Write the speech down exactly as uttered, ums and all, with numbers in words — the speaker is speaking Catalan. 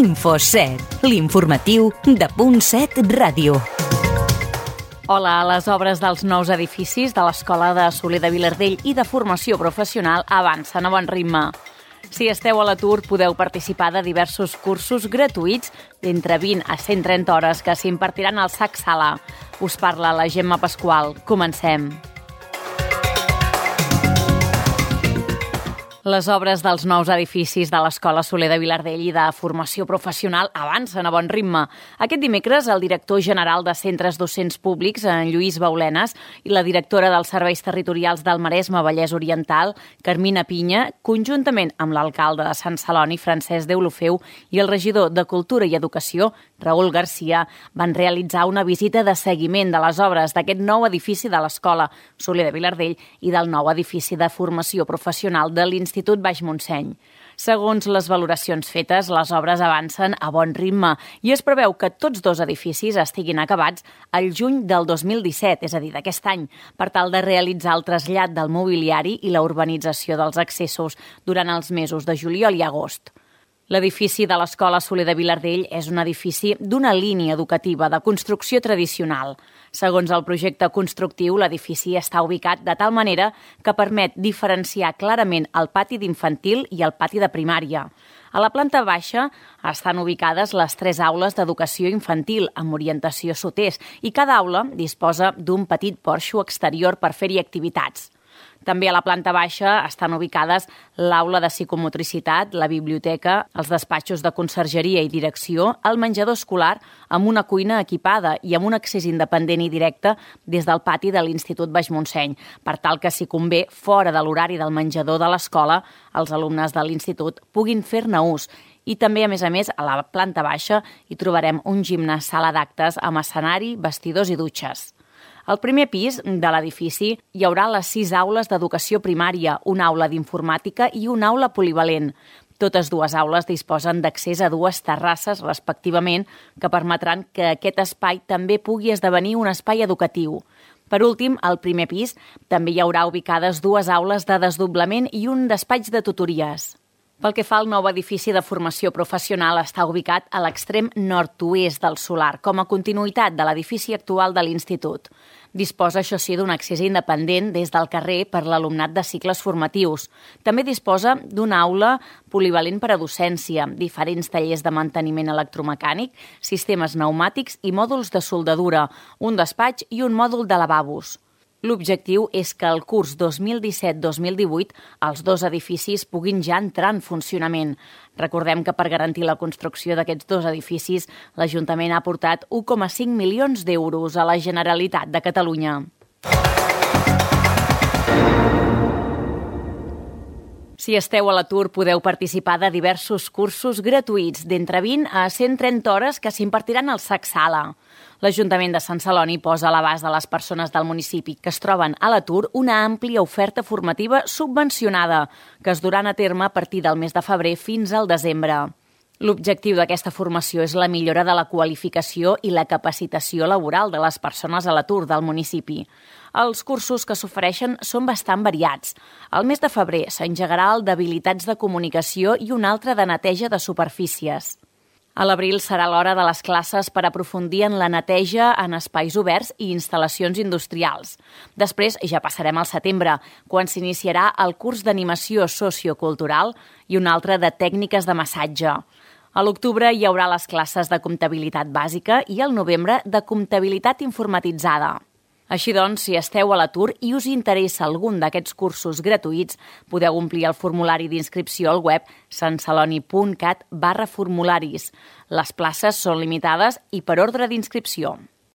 InfoSet, l'informatiu de Punt set Ràdio. Hola, les obres dels nous edificis de l'Escola de Soler de Vilardell i de formació professional avancen a bon ritme. Si esteu a l'atur, podeu participar de diversos cursos gratuïts d'entre vint a cent trenta hores que s'impartiran al S A C Sala. Us parla la Gemma Pasqual. Comencem. Les obres dels nous edificis de l'Escola Soler de Vilardell i de formació professional avancen a bon ritme. Aquest dimecres, el director general de Centres Docents Públics, en Lluís Baulenes, i la directora dels Serveis Territorials del Maresme Vallès Oriental, Carmina Pinya, conjuntament amb l'alcalde de Sant Celoni, Francesc Deulofeu, i el regidor de Cultura i Educació, Raül Garcia, van realitzar una visita de seguiment de les obres d'aquest nou edifici de l'Escola Soler de Vilardell i del nou edifici de formació professional de l'Institut Institut Baix Montseny. Segons les valoracions fetes, les obres avancen a bon ritme i es preveu que tots dos edificis estiguin acabats al juny del dos mil disset, és a dir, d'aquest any, per tal de realitzar el trasllat del mobiliari i la urbanització dels accessos durant els mesos de juliol i agost. L'edifici de l'Escola Soler de Vilardell és un edifici d'una línia educativa de construcció tradicional. Segons el projecte constructiu, l'edifici està ubicat de tal manera que permet diferenciar clarament el pati d'infantil i el pati de primària. A la planta baixa estan ubicades les tres aules d'educació infantil amb orientació sud-est i cada aula disposa d'un petit porxo exterior per fer-hi activitats. També a la planta baixa estan ubicades l'aula de psicomotricitat, la biblioteca, els despatxos de consergeria i direcció, el menjador escolar amb una cuina equipada i amb un accés independent i directe des del pati de l'Institut Baix Montseny, per tal que, si convé, fora de l'horari del menjador de l'escola, els alumnes de l'institut puguin fer-ne ús. I també, a més a més, a la planta baixa hi trobarem un gimnàs sala d'actes amb escenari, vestidors i dutxes. Al primer pis de l'edifici hi haurà les sis aules d'educació primària, una aula d'informàtica i una aula polivalent. Totes dues aules disposen d'accés a dues terrasses, respectivament, que permetran que aquest espai també pugui esdevenir un espai educatiu. Per últim, al primer pis també hi haurà ubicades dues aules de desdoblament i un despatx de tutories. Pel que fa al nou edifici de formació professional, està ubicat a l'extrem nord-oest del solar, com a continuïtat de l'edifici actual de l'Institut. Disposa, això sí, d'un accés independent des del carrer per l'alumnat de cicles formatius. També disposa d'una aula polivalent per a docència, diferents tallers de manteniment electromecànic, sistemes pneumàtics i mòduls de soldadura, un despatx i un mòdul de lavabos. L'objectiu és que el curs dos mil disset dos mil divuit els dos edificis puguin ja entrar en funcionament. Recordem que per garantir la construcció d'aquests dos edificis, l'Ajuntament ha aportat un coma cinc milions d'euros a la Generalitat de Catalunya. Si esteu a l'atur, podeu participar de diversos cursos gratuïts d'entre vint a cent trenta hores que s'impartiran al S A C Sala. L'Ajuntament de Sant Celoni posa a l'abast de les persones del municipi que es troben a l'atur una àmplia oferta formativa subvencionada que es duran a terme a partir del mes de febrer fins al desembre. L'objectiu d'aquesta formació és la millora de la qualificació i la capacitació laboral de les persones a l'atur del municipi. Els cursos que s'ofereixen són bastant variats. Al mes de febrer s'engegarà el d'habilitats de comunicació i un altre de neteja de superfícies. A l'abril serà l'hora de les classes per aprofundir en la neteja en espais oberts i instal·lacions industrials. Després ja passarem al setembre, quan s'iniciarà el curs d'animació sociocultural i un altre de tècniques de massatge. A l'octubre hi haurà les classes de comptabilitat bàsica i al novembre de comptabilitat informatitzada. Així doncs, si esteu a l'atur i us interessa algun d'aquests cursos gratuïts, podeu omplir el formulari d'inscripció al web santceloni punt cat barra formularis. Les places són limitades i per ordre d'inscripció.